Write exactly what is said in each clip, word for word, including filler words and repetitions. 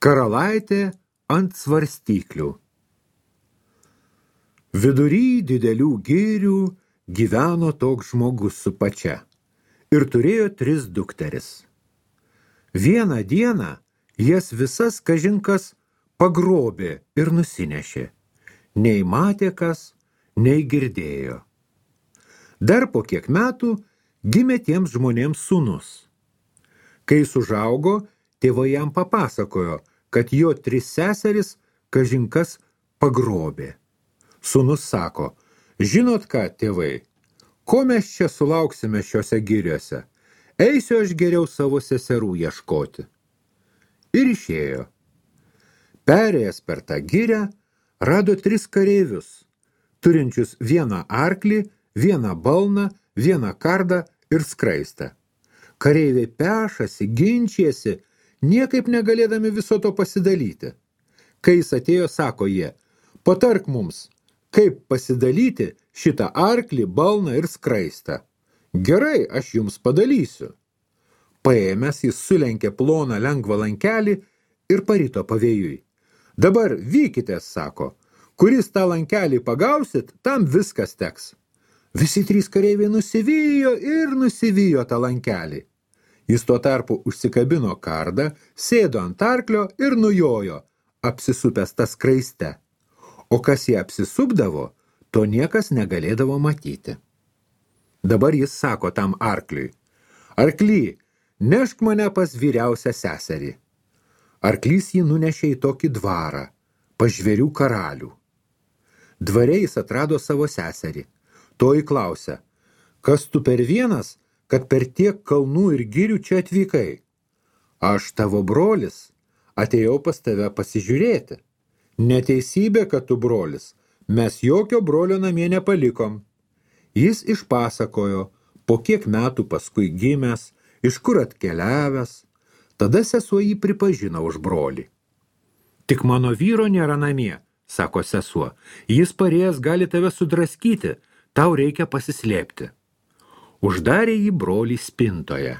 Karalaitė ant svarstyklių. Vidury didelių girių gyveno toks žmogus su pačia ir turėjo tris dukteris. Vieną dieną jas visas kažinkas pagrobė ir nusinešė. Nei matė kas, nei girdėjo. Dar po kiek metų gimė tiems žmonėms sūnus. Kai jis užaugo, tėvai jam papasakojo, kad jo tris seseris kažinkas pagrobė. Sūnus sako, žinot ką, tėvai, ko mes čia sulauksime šiuose giriuose? Eisiu aš geriau savo seserų ieškoti. Ir išėjo. Perėjęs per tą girę, rado tris kareivius, turinčius vieną arklį, vieną balną, vieną kardą ir skraistę. Kareiviai pešasi, ginčiasi, niekaip negalėdami viso to pasidalyti. Kai jis atėjo, sako jie, patark mums, kaip pasidalyti šitą arklį, balną ir skraistę. Gerai, aš jums padalysiu. Paėmęs jis sulenkė ploną lengvą lankelį ir parito pavėjui. Dabar vykitės, sako, kuris tą lankelį pagausit, tam viskas teks. Visi trys kareiviai nusivijo ir nusivijo tą lankelį. Jis tuo tarpu užsikabino kardą, sėdo ant arklio ir nujojo, apsisupęs tą skraiste. O kas jį apsisupdavo, to niekas negalėdavo matyti. Dabar jis sako tam arkliui, arkly, nešk mane pas vyriausią seserį. Arklys jį nunešė į tokį dvarą, pas žvėrių karalių. Dvare jis atrado savo seserį. Toji klausia, kas tu per vienas, kad per tiek kalnų ir girių čia atvykai? Aš tavo brolis, atėjau pas tave pasižiūrėti. Neteisybė, kad tu brolis, mes jokio brolio namie nepalikom. Jis išpasakojo, po kiek metų paskui gimęs, iš kur atkeliavęs, tada sesuo jį pripažino už brolį. Tik mano vyro nėra namie, sako sesuo, jis parėjęs gali tave sudraskyti, tau reikia pasislėpti. Uždarė jį brolį spintoje.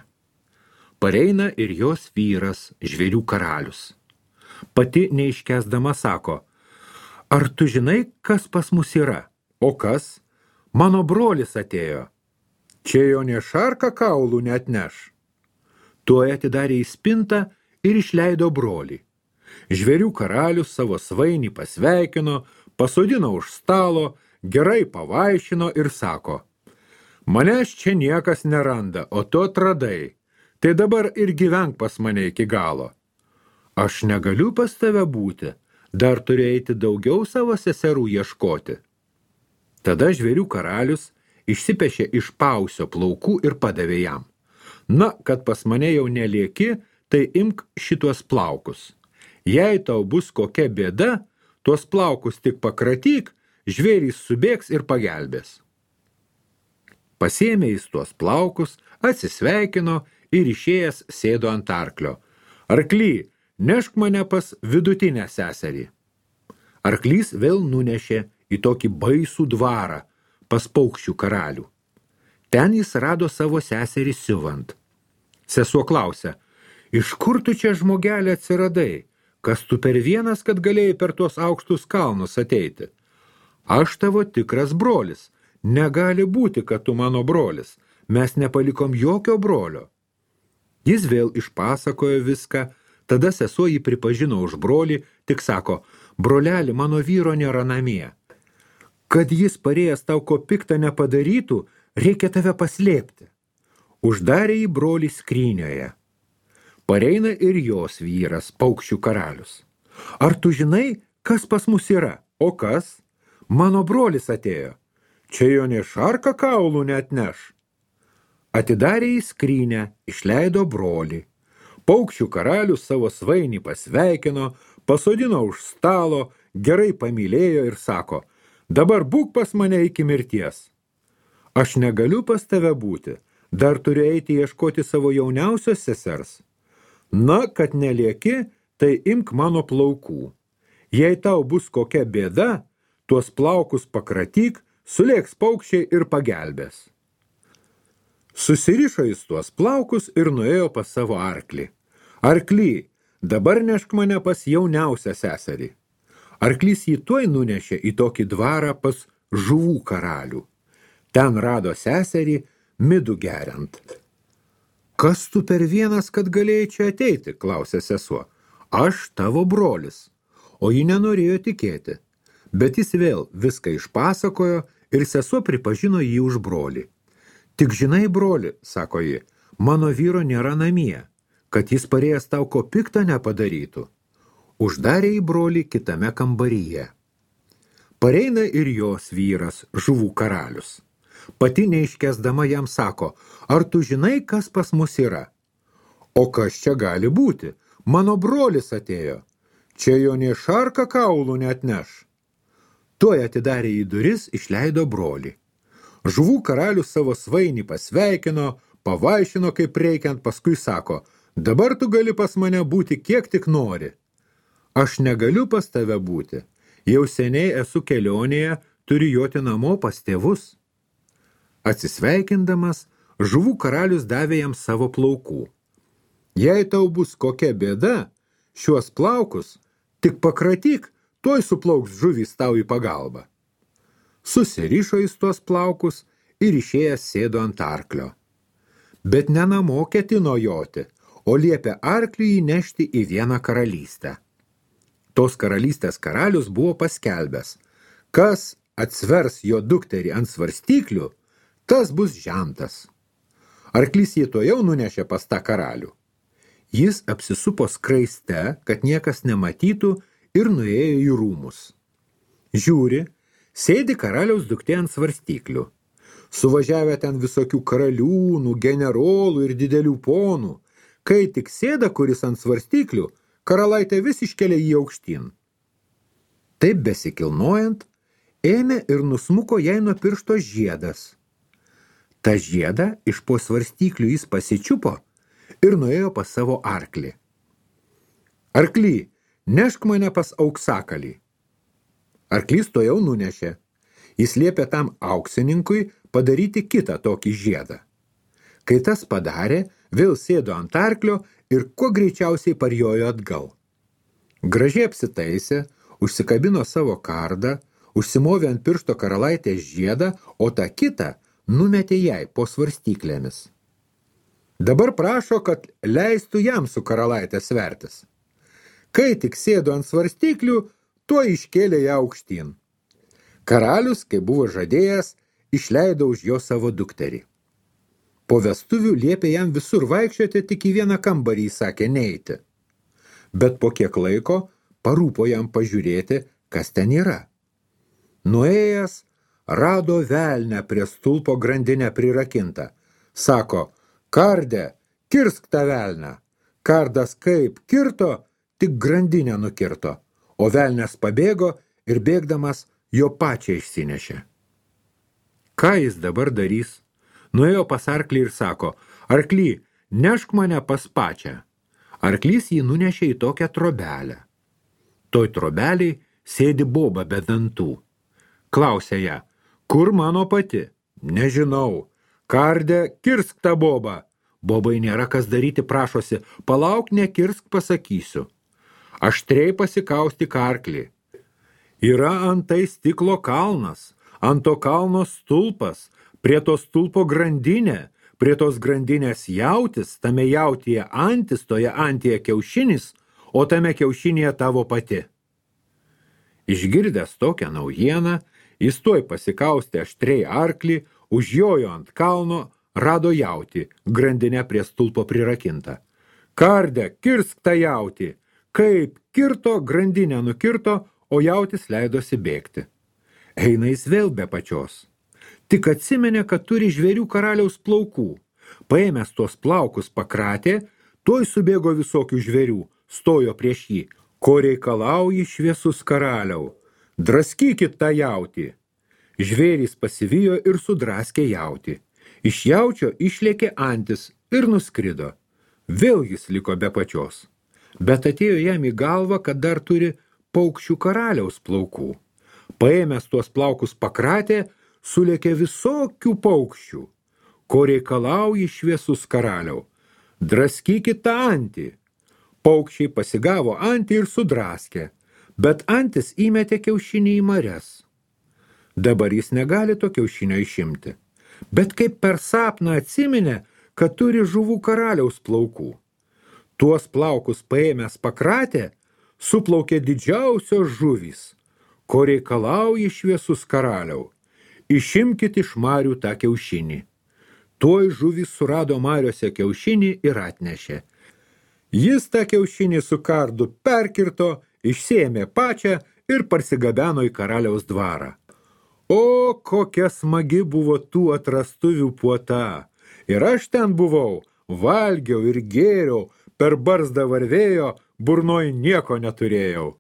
Pareina ir jos vyras, žvėrių karalius. Pati neiškęsdama sako, ar tu žinai, kas pas mus yra? O kas? Mano brolis atėjo. Čia jo nė šarka kaulų neatneš. Tuoj atidarė į spintą ir išleido brolį. Žvėrių karalius savo svainį pasveikino, pasodino už stalo, gerai pavaišino ir sako, manęs čia niekas neranda, o tu atradai, tai dabar ir gyvenk pas mane iki galo. Aš negaliu pas tave būti, dar turiu eiti daugiau savo seserų ieškoti. Tada žvėrių karalius išsipešė iš pausio plaukų ir padavė jam. Na, kad pas mane jau nelieki, tai imk šituos plaukus. Jei tau bus kokia bėda, tuos plaukus tik pakratyk, žvėrys subėgs ir pagelbės. Pasėmė jis tuos plaukus, atsisveikino ir išėjęs sėdo ant arklio. Arkly, nešk mane pas vidutinę seserį. Arklys vėl nunešė į tokį baisų dvarą, pas paukščių karalių. Ten jis rado savo seserį siuvant. Sesuo klausia, iš kur tu čia žmogelį atsiradai? Kas tu per vienas, kad galėjai per tuos aukštus kalnus ateiti? Aš tavo tikras brolis. Negali būti, kad tu mano brolis. Mes nepalikom jokio brolio. Jis vėl išpasakojo viską, tada sesuo jį pripažino už brolį, tik sako, broleli, mano vyro nėra namie. Kad jis parėjęs tau ko piktą nepadarytų, reikia tave paslėpti. Uždarė jį brolį skrynioje. Pareina ir jos vyras, paukščių karalius. Ar tu žinai, kas pas mus yra? O kas? Mano brolis atėjo. Čia jo nė šarka kaulų neatneš. Atidarė į skrynę, išleido brolį. Paukščių karalius savo svainį pasveikino, pasodino už stalo, gerai pamylėjo ir sako, dabar būk pas mane iki mirties. Aš negaliu pas tave būti, dar turiu eiti ieškoti savo jauniausios sesers. Na, kad nelieki, tai imk mano plaukų. Jei tau bus kokia bėda, tuos plaukus pakratyk, sulėks paukščiai ir pagelbės. Susirišo jis tuos plaukus ir nuėjo pas savo arklį. Arkly, dabar nešk mane pas jauniausią seserį. Arklys jį tuoj nunešė į tokį dvarą pas žuvų karalių. Ten rado seserį midų geriant. Kas tu per vienas, kad galėjai čia ateiti, klausė sesuo. Aš tavo brolis. O ji nenorėjo tikėti. Bet jis vėl viską išpasakojo ir sesuo pripažino jį už brolį. Tik žinai, broli, sako ji, mano vyro nėra namie, kad jis parėjęs tau ko piktą nepadarytų. Uždarė į brolį kitame kambaryje. Pareina ir jos vyras, žuvų karalius. Pati neiškesdama jam sako, ar tu žinai, kas pas mus yra? O kas čia gali būti? Mano brolis atėjo. Čia jo nė šarka kaulų neatneš. Tuoj atidarė į duris, išleido brolį. Žuvų karalius savo svainį pasveikino, pavaišino kaip reikiant, paskui sako, dabar tu gali pas mane būti kiek tik nori. Aš negaliu pas tave būti. Jau seniai esu kelionėje, turiu joti namo pas tėvus. Atsisveikindamas, žuvų karalius davė jam savo plaukų. Jei tau bus kokia bėda, šiuos plaukus tik pakratyk, tuoj suplauks žuvys tau į pagalbą. Susirišo jis tuos plaukus ir išėjęs sėdo ant arklio. Bet ne namo ketino joti, o liepė arkliui įnešti į vieną karalystę. Tos karalystės karalius buvo paskelbęs, kas atsvers jo dukterį ant svarstyklių, tas bus žentas. Arklys jį to jau nunešė pas tą karalių. Jis apsisupo skraiste, kad niekas nematytų, ir nuėjo į rūmus. Žiūri, sėdi karaliaus duktė ant svarstyklių. Suvažiavę ten visokių karaliūnų, generolų ir didelių ponų. Kai tik sėda kuris ant svarstyklių, karalaitė vis iškelia jį aukštyn. Taip besikilnojant, ėmė ir nusmuko jai nuo piršto žiedas. Ta žiedą iš po svarstyklių jis pasičiupo ir nuėjo pas savo arklį. Arkly, nešk mane pas auksakalį. Arklys to jau nunešė. Jis liepė tam auksininkui padaryti kitą tokį žiedą. Kai tas padarė, vėl sėdo ant arklio ir kuo greičiausiai parjojo atgal. Gražiai apsitaisė, užsikabino savo kardą, užsimovė ant piršto karalaitės žiedą, o tą kitą numetė jai po svarstyklėmis. Dabar prašo, kad leistų jam su karalaitė svertis. Kai tik sėdo ant svarstyklių, tuo iškėlė ją aukštyn. Karalius, kai buvo žadėjęs, išleido už jo savo dukterį. Po vestuvių liepė jam visur vaikščioti, tik į vieną kambarį sakė neiti. Bet po kiek laiko parūpo jam pažiūrėti, kas ten yra. Nuėjęs, rado velnę prie stulpo grandinę prirakintą. Sako, karde, kirsk tą velnę. Kardas kaip kirto, tik grandinę nukirto, o velnės pabėgo ir bėgdamas jo pačią išsinešė. Ką jis dabar darys? Nuėjo pas arklį ir sako, arkly, nešk mane pas pačią. Arklys jį nunešė į tokią trobelę. Toj trobeliai sėdi boba be dantų. Klausė ją, kur mano pati? Nežinau. Karde, kirsk tą bobą. Bobai nėra kas daryti, prašosi, palauk, nekirsk, pasakysiu. Aštriai pasikaustyk arklį. Yra antai stiklo kalnas, ant to kalno stulpas, prie to stulpo grandinė, prie tos grandinės jautis, tame jautyje antis, toje antyje kiaušinis, o tame kiaušinėje tavo pati. Išgirdęs tokią naujieną, jis tuoj pasikaustė aštriai arklį, užjojo ant kalno, rado jautį, grandinę prie stulpo prirakinta. Karde, kirsk tą jautį. Kaip kirto, grandinę nukirto, o jautis leidosi bėgti. Eina jis vėl be pačios. Tik atsimenė, kad turi žvėrių karaliaus plaukų. Paėmęs tuos plaukus pakratė, tuoj subėgo visokių žvėrių, stojo prieš jį. Ko reikalauji, šviesus karaliau? Draskykit tą jautį. Žvėrys pasivijo ir sudraskė jautį. Iš jaučio išlėkė antis ir nuskrido. Vėl jis liko be pačios. Bet atėjo jam į galvą, kad dar turi paukščių karaliaus plaukų. Paėmęs tuos plaukus pakratė, sulėkė visokių paukščių. Ko reikalauji, šviesus karaliau? Draskykit tą antį. Paukščiai pasigavo antį ir sudraskė, bet antis įmetė kiaušinį į marias. Dabar jis negali to kiaušinio išimti, bet kaip per sapną atsiminė, kad turi žuvų karaliaus plaukų. Tuos plaukus paėmęs pakratė, suplaukė didžiausios žuvys, ko reikalauja šviesus karaliau. Išimkit iš marių tą kiaušinį. Tuoj žuvys surado mariose kiaušinį ir atnešė. Jis tą kiaušinį su kardu perkirto, išsiėmė pačią ir parsigabeno į karaliaus dvarą. O, kokia smagi buvo tų atrastuvių puota! Ir aš ten buvau, valgiau ir gėriau, per barzdą varvėjo, burnoj nieko neturėjau.